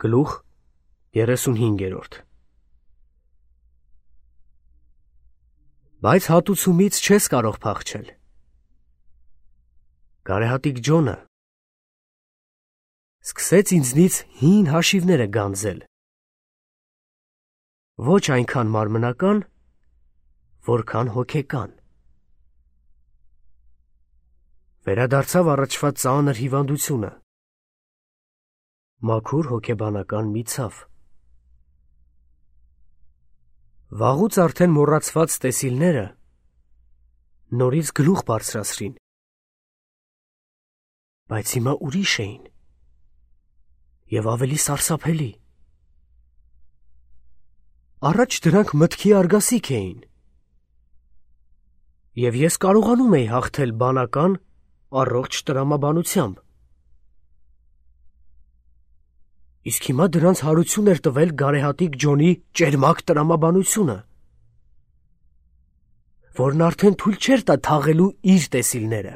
Գլուխ 35 Բայց հատուցումից չես կարող փախչել։ Գարեհատիկ Ջոնը սկսեց ինձնից հին հաշիվները գանձել։ Ոչ այնքան մարմնական, որքան հոգեկան։ Վերադարձավ առաջվա ծանր հիվանդությունը։ Մաքուր հոգեբանական մի ցավ։ Վաղուց արդեն մոռացված տեսիլները նորից գլուխ բարձրացրին, բայց հիմա ուրիշ էին և ավելի սարսափելի։ Առաջ դրանք մտքի արգասիք էին, և ես կարողանում էի հաղթել բանական, առողջ տրամաբանությամբ։ Իսկ հիմա դրանց հարություն էր տվել գարեհատիկ Ջոնի ճերմակ տրամաբանությունը, որն արդեն թույլ չէր տա թաղելու իր տեսիլները։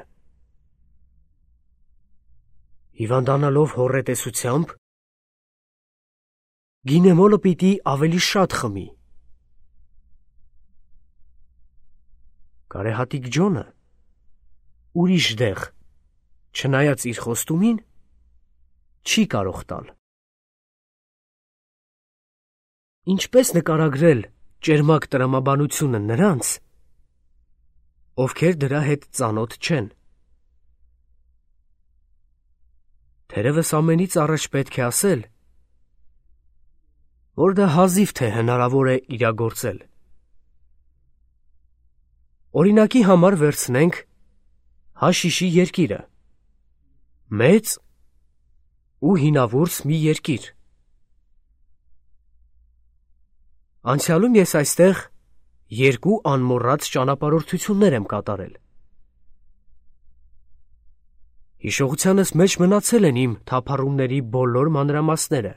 Հիվանդանալով հոռետեսությամբ, գինեմոլը պիտի ավելի շատ խմի։ Գարեհատիկ Ջոնը ուրիշ դեղ, չնայած իր խոստումին, չի կարող տալ։ Ինչպես նկարագրել ճերմակ տրամաբանությունը նրանց, ովքեր դրա հետ ծանոթ չեն։ Թերևս ամենից առաջ պետք է ասել, որ դա հազիվ թե հնարավոր է իրագործել։ Օրինակի համար վերցնենք հաշիշի երկիրը, մեծ ու հինավուրց մի երկիր։ Անցյալում ես այստեղ երկու անմոռաց ճանապարհորդություններ եմ կատարել։ Հիշողությանս մեջ մնացել են իմ թափառումների բոլոր մանրամասները։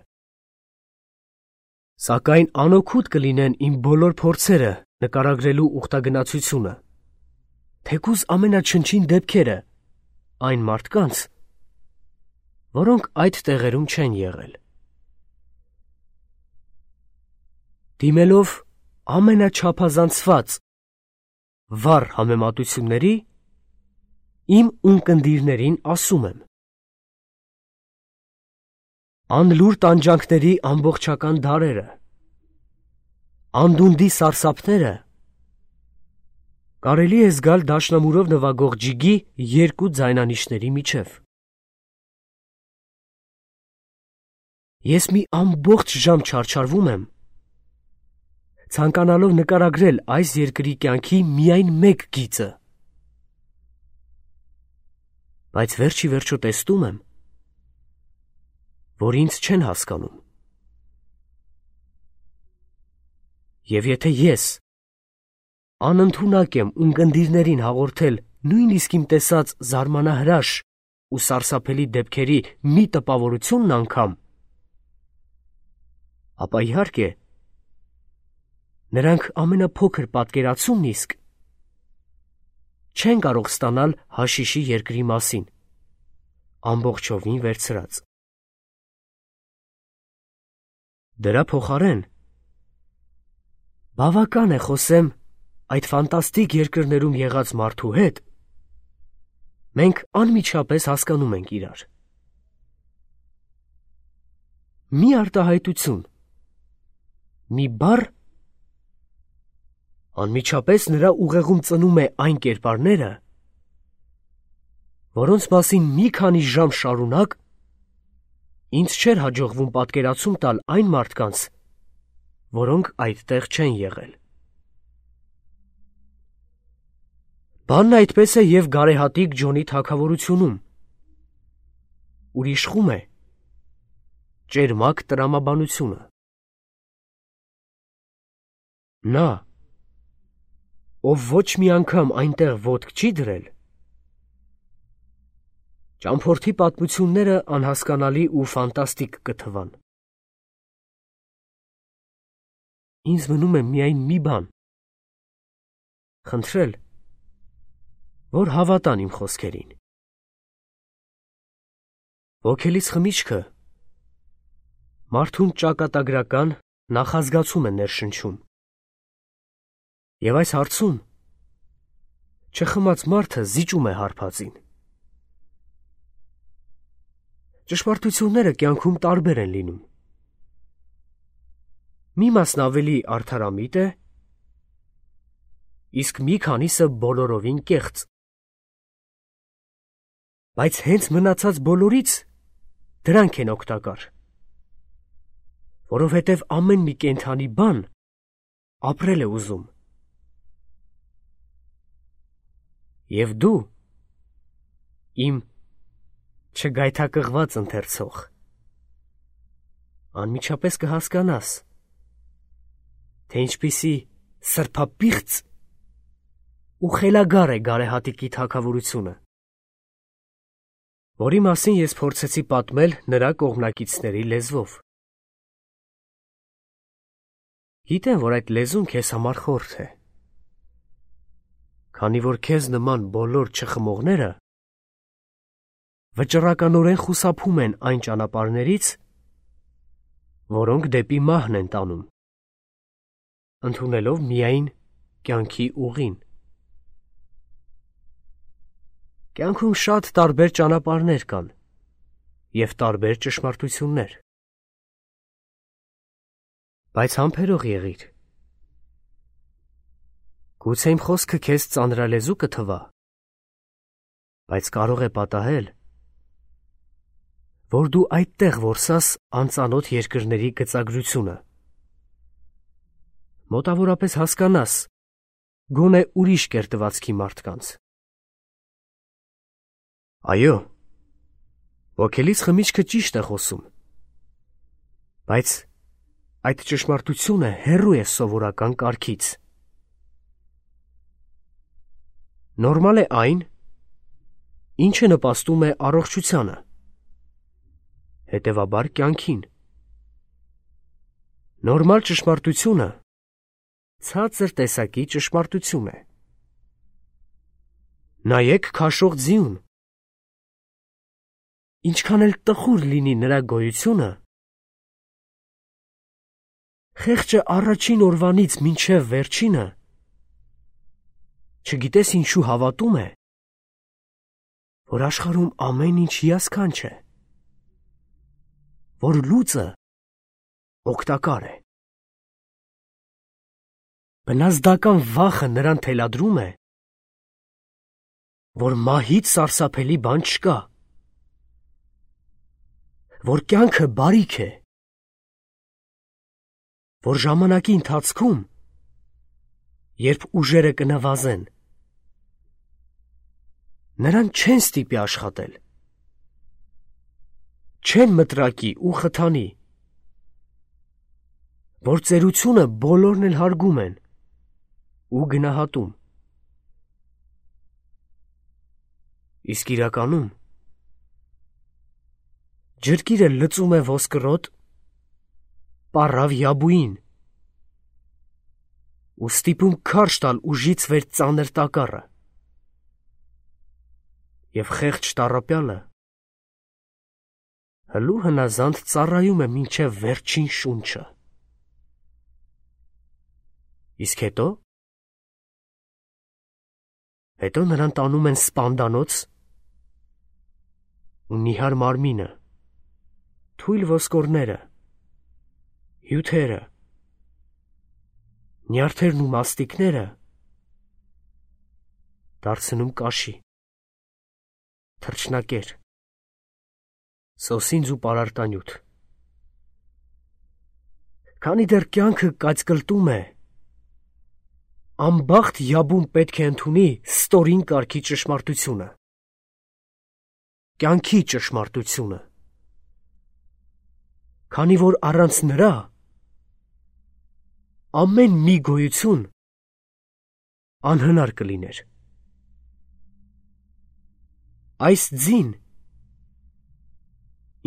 Սակայն անօգուտ կլինեն իմ բոլոր փորձերը նկարագրելու ուխտագնացությունը, թեկուզ ամենաչնչին դեպքերը այն մարդկանց, որոնք այդ տեղերում չեն եղել։ Դիմելով ամենաչափազանցված վառ համեմատությունների, իմ ունկնդիրներին ասում եմ. անլուր տանջանքների ամբողջական դարերը, անդունդի սարսափները կարելի է զգալ դաշնամուրով նվագող ջիգի երկու ձայնանիշների միջև։ Ես մի ամբողջ ժամ չարչարվում եմ, ցանկանալով նկարագրել այս երկրի կյանքի միայն մեկ գիծը, բայց վերջի վերջո տեսնում եմ, որ ինձ չեն հասկանում։ Եվ եթե ես անընդունակ եմ ունկնդիրներին հաղորդել նույնիսկ իմ տեսած զարմանահրաշ ու սարսափելի դեպքերի մի տպավորությունն անգամ, ապա իհարկե նրանք ամենափոքր պատկերացումն իսկ չեն կարող ստանալ հաշիշի երկրի մասին, ամբողջովին վերցրած։ Դրա փոխարեն բավական է խոսեմ այդ ֆանտաստիկ երկրներում եղած մարդու հետ, մենք անմիջապես հասկանում ենք իրար։ Մի արտահայտություն, մի բառ անմիջապես նրա ուղեղում ծնում է այն կերպարները, որոնց մասին մի քանի ժամ շարունակ ինձ չէր հաջողվում պատկերացում տալ այն մարդկանց, որոնք այդտեղ չեն եղել։ Բանն այդպես է և գարեհատիկ Ջոնի թագավորությունում, ուր իշխում է ճերմակ տրամաբանությունը։ Նա, ով ոչ մի անգամ այնտեղ ոտք չի դրել, ճամփորդի պատմությունները անհասկանալի ու ֆանտաստիկ կթվան։ Ինձ մնում է միայն մի բան, խնդրել, որ հավատան իմ խոսքերին։ Ոգելից խմիչքը Մարդուն ճակատագրական նախազգացում է ներշնչում։ Եվ այս հարցում չխմած մարդը զիջում է հարբածին։ Ճշմարտությունները կյանքում տարբեր են լինում։ Մի մասն ավելի արդարամիտ է, իսկ մի քանիսը բոլորովին կեղծ։ Բայց հենց մնացած բոլորից դրանք են օգտակար, որովհետև ամեն մի կենդանի բան ապրել է ուզում։ Եվ դու, իմ չգայթակղված ընթերցող, անմիջապես կհասկանաս, թե ինչպիսի սրբապիղծ ու խելագար է գարեհատիկի թագավորությունը, որի մասին ես փորձեցի պատմել նրա կողմնակիցների լեզվով։ Գիտեմ, որ այդ լեզուն քեզ համար խորթ է, քանի որ քեզ նման բոլոր չխմողները վճռականորեն խուսափում են այն ճանապարհներից, որոնք դեպի մահն են տանում, ընդունելով միայն կյանքի ուղին։ Կյանքում շատ տարբեր ճանապարհներ կան և տարբեր ճշմարտություններ։ Բայց համբերող եղիր։ Գուցե իմ խոսքը քեզ ծանրալեզու կթվա, բայց կարող է պատահել, որ դու այդտեղ որսաս անծանոթ երկրների գծագրությունը, մոտավորապես հասկանաս գոնե ուրիշ կերտվածքի մարդկանց։ Այո, ոգելից խմիչքը ճիշտ է խոսում, բայց այդ ճշմարտությունը հեռու է սովորական կարգից։ Նորմալ է այն, ինչը նպաստում է առողջությանը, հետևաբար կյանքին։ Նորմալ ճշմարտությունը ցածր տեսակի ճշմարտություն է։ Նայեք քաշող ձիուն։ Ինչքան էլ տխուր լինի նրա գոյությունը, խեղճը առաջին օրվանից մինչև վերջինը չգիտես ինչու հավատում է, որ աշխարհում ամեն ինչ հիասքանչ է, որ լուծը օգտակար է։ Բնազդական վախը նրան թելադրում է, որ մահից սարսափելի բան չկա, որ կյանքը բարիք է, որ ժամանակի ընթացքում, երբ ուժերը կնվազեն, նրան չեն ստիպի աշխատել, չեն մտրակի ու խթանի, որ ծերությունը բոլորն էլ հարգում են ու գնահատում։ Իսկ իրականում ջրկիրը լծում է ոսկրոտ, պառավ յաբուին ու ստիպում քարշ տալ ուժից վեր ծանր տակառը, և խեղճ տառապյալը հլու հնազանդ ծառայում է մինչև վերջին շունչը։ Իսկ հետո նրան տանում են սպանդանոց ու նիհար մարմինը, թույլ ոսկորները, հյութերը, նյարդերն ու մաստիկները դարձնում կաշի, թռչնակեր, սոսինձ ու պարարտանյութ։ Քանի դեռ կյանքը կայծկլտում է, անբախտ յաբուն պետք է ընդունի ստորին կարգի ճշմարտությունը, կյանքի ճշմարտությունը, քանի որ առանց նրա ամեն մի գոյություն անհնար կլիներ։ Այս ձին,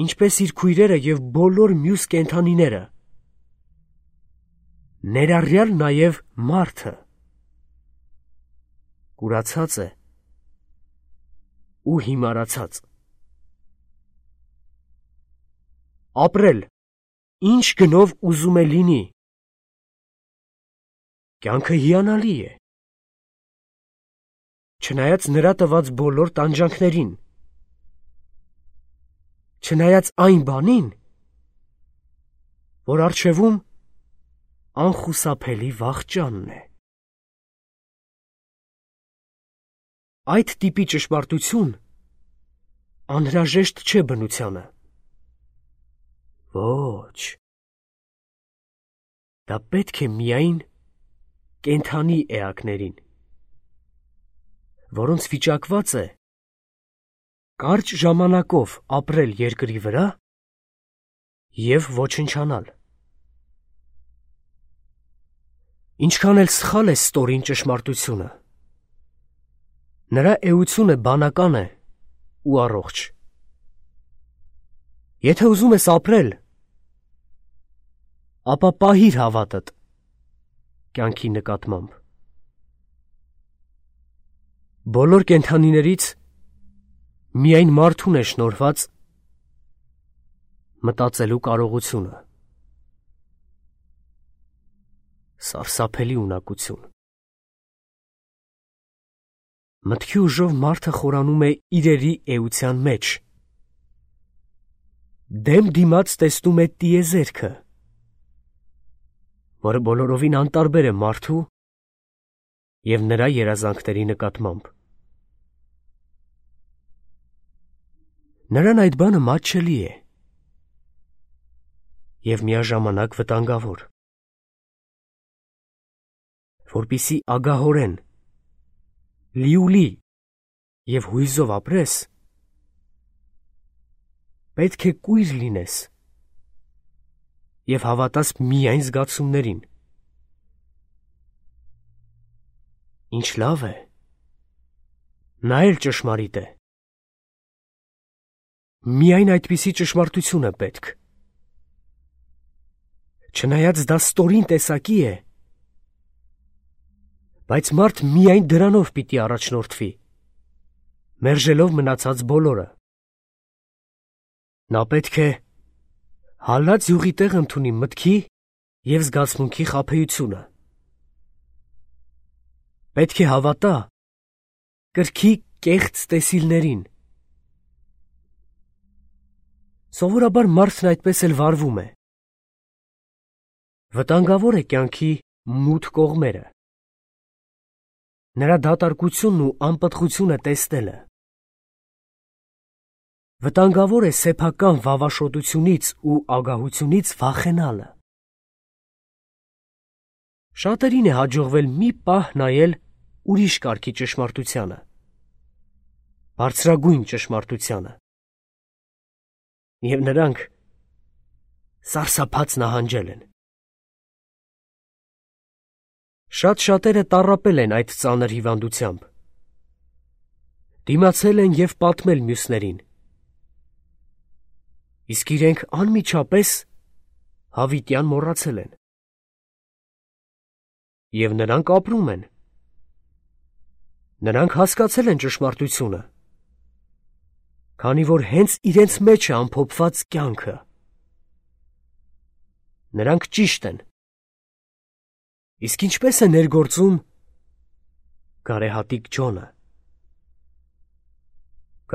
ինչպես իր քույրերը և բոլոր մյուս կենդանիները, ներառյալ նաև մարդը, կուրացած է ու հիմարացած։ Ապրել ինչ գնով ուզում է լինի։ Կյանքը հիանալի է։ Չնայած նրա տված բոլոր տանջանքներին, չնայած այն բանին, որ առջևում անխուսափելի վախճանն է։ Այդ տիպի ճշմարտություն անհրաժեշտ չէ բնությանը։ Ոչ, դա պետք է միայն կենդանի էակներին, որոնց վիճակված է կարճ ժամանակով ապրել երկրի վրա և ոչնչանալ։ Ինչքան էլ սխալ է ստորին ճշմարտությունը, նրա էությունը բանական է ու առողջ։ Եթե ուզում ես ապրել, ապա պահիր հավատդ կյանքի նկատմամբ։ Բոլոր կենդանիներից միայն մարդուն է շնորհված մտածելու կարողությունը։ Սարսափելի ունակություն։ Մտքի ուժով մարդը խորանում է իրերի էության մեջ։ Դեմ դիմաց տեսնում է տիեզերքը, որը բոլորովին անտարբեր է մարդու և նրա երազանքների նկատմամբ։ Նրան այդ բանը մատչելի է և միաժամանակ վտանգավոր։ Որպեսզի ագահորեն, լիուլի և հույզով ապրես, պետք է կույր լինես և հավատաս միայն զգացումներին։ Ինչ լավ է, նա էլ ճշմարիտ է։ Միայն այդպիսի ճշմարտություն է պետք։ Չնայած դա ստորին տեսակի է, բայց մարդ միայն դրանով պիտի առաջնորդվի, մերժելով մնացած բոլորը։ Նա պետք է հալած յուղի տեղ ընդունի մտքի և զգացմունքի խաբեությունը։ Պետք է հավատա կրքի կեղծ տեսիլներին։ Սովորաբար մարդն այդպես էլ վարվում է։ Վտանգավոր է կյանքի մութ կողմերը, նրա դատարկությունն ու անպտղությունը տեսնելը։ Վտանգավոր է սեփական վավաշոտությունից ու ագահությունից վախենալը։ Շատերին է հաջողվել մի պահ նայել ուրիշ կարգի ճշմարտությանը, բարձրագույն ճշմարտությանը, և նրանք սարսափած նահանջել են։ Շատ շատերը տառապել են այդ ծանր հիվանդությամբ, դիմացել են և պատմել մյուսներին, իսկ իրենք անմիջապես հավիտյան մոռացել են։ Եվ նրանք ապրում են։ Նրանք հասկացել են ճշմարտությունը, քանի որ հենց իրենց մեջ է ամփոփված կյանքը։ Նրանք ճիշտ են։ Իսկ ինչպես է ներգործում գարեհատիկ Ջոնը։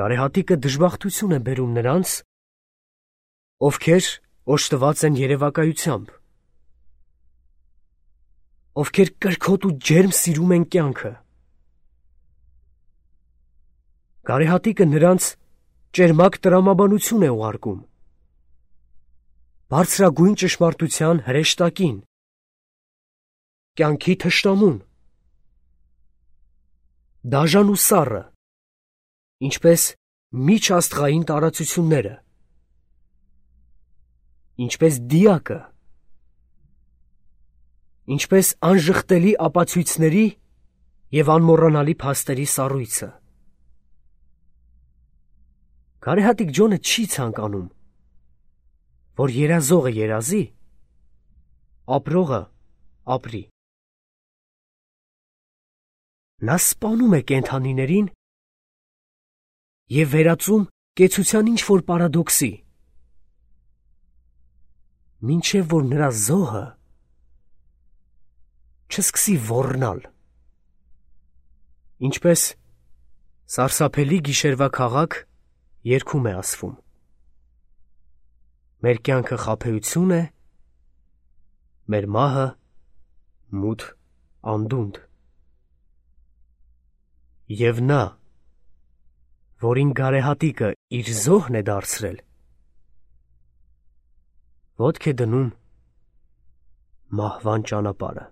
Գարեհատիկը դժբախտություն է բերում նրանց, ովքեր օժտված են երևակայությամբ, ովքեր կրքոտ ու ջերմ սիրում են կյանքը։ Գարեհատիկը նրանց ճերմակ տրամաբանություն է ուղարկում, բարձրագույն ճշմարտության հրեշտակին, կյանքի թշնամուն, դաժան ու սառը, ինչպես միջաստղային տարածությունները, ինչպես դիակը, ինչպես անժխտելի ապացույցների և անմոռանալի փաստերի սառույցը։ Գարեհատիկ Ջոնը չի ցանկանում, որ երազողը երազի, ապրողը ապրի։ Նա սպանում է կենդանիներին և վերածում կեցության ինչ-որ պարադոքսի։ մինչև որ նրա զոհը չսկսի ոռնալ։ Ինչպես սարսափելի գիշերվա քաղաք երգում է ասվում. մեր կյանքը խաբեություն է, մեր մահը մութ անդունդ։ Եվ նա, որին գարեհատիկը իր զոհն է դարձրել, ոտք է դնում մահվան ճանապարհը։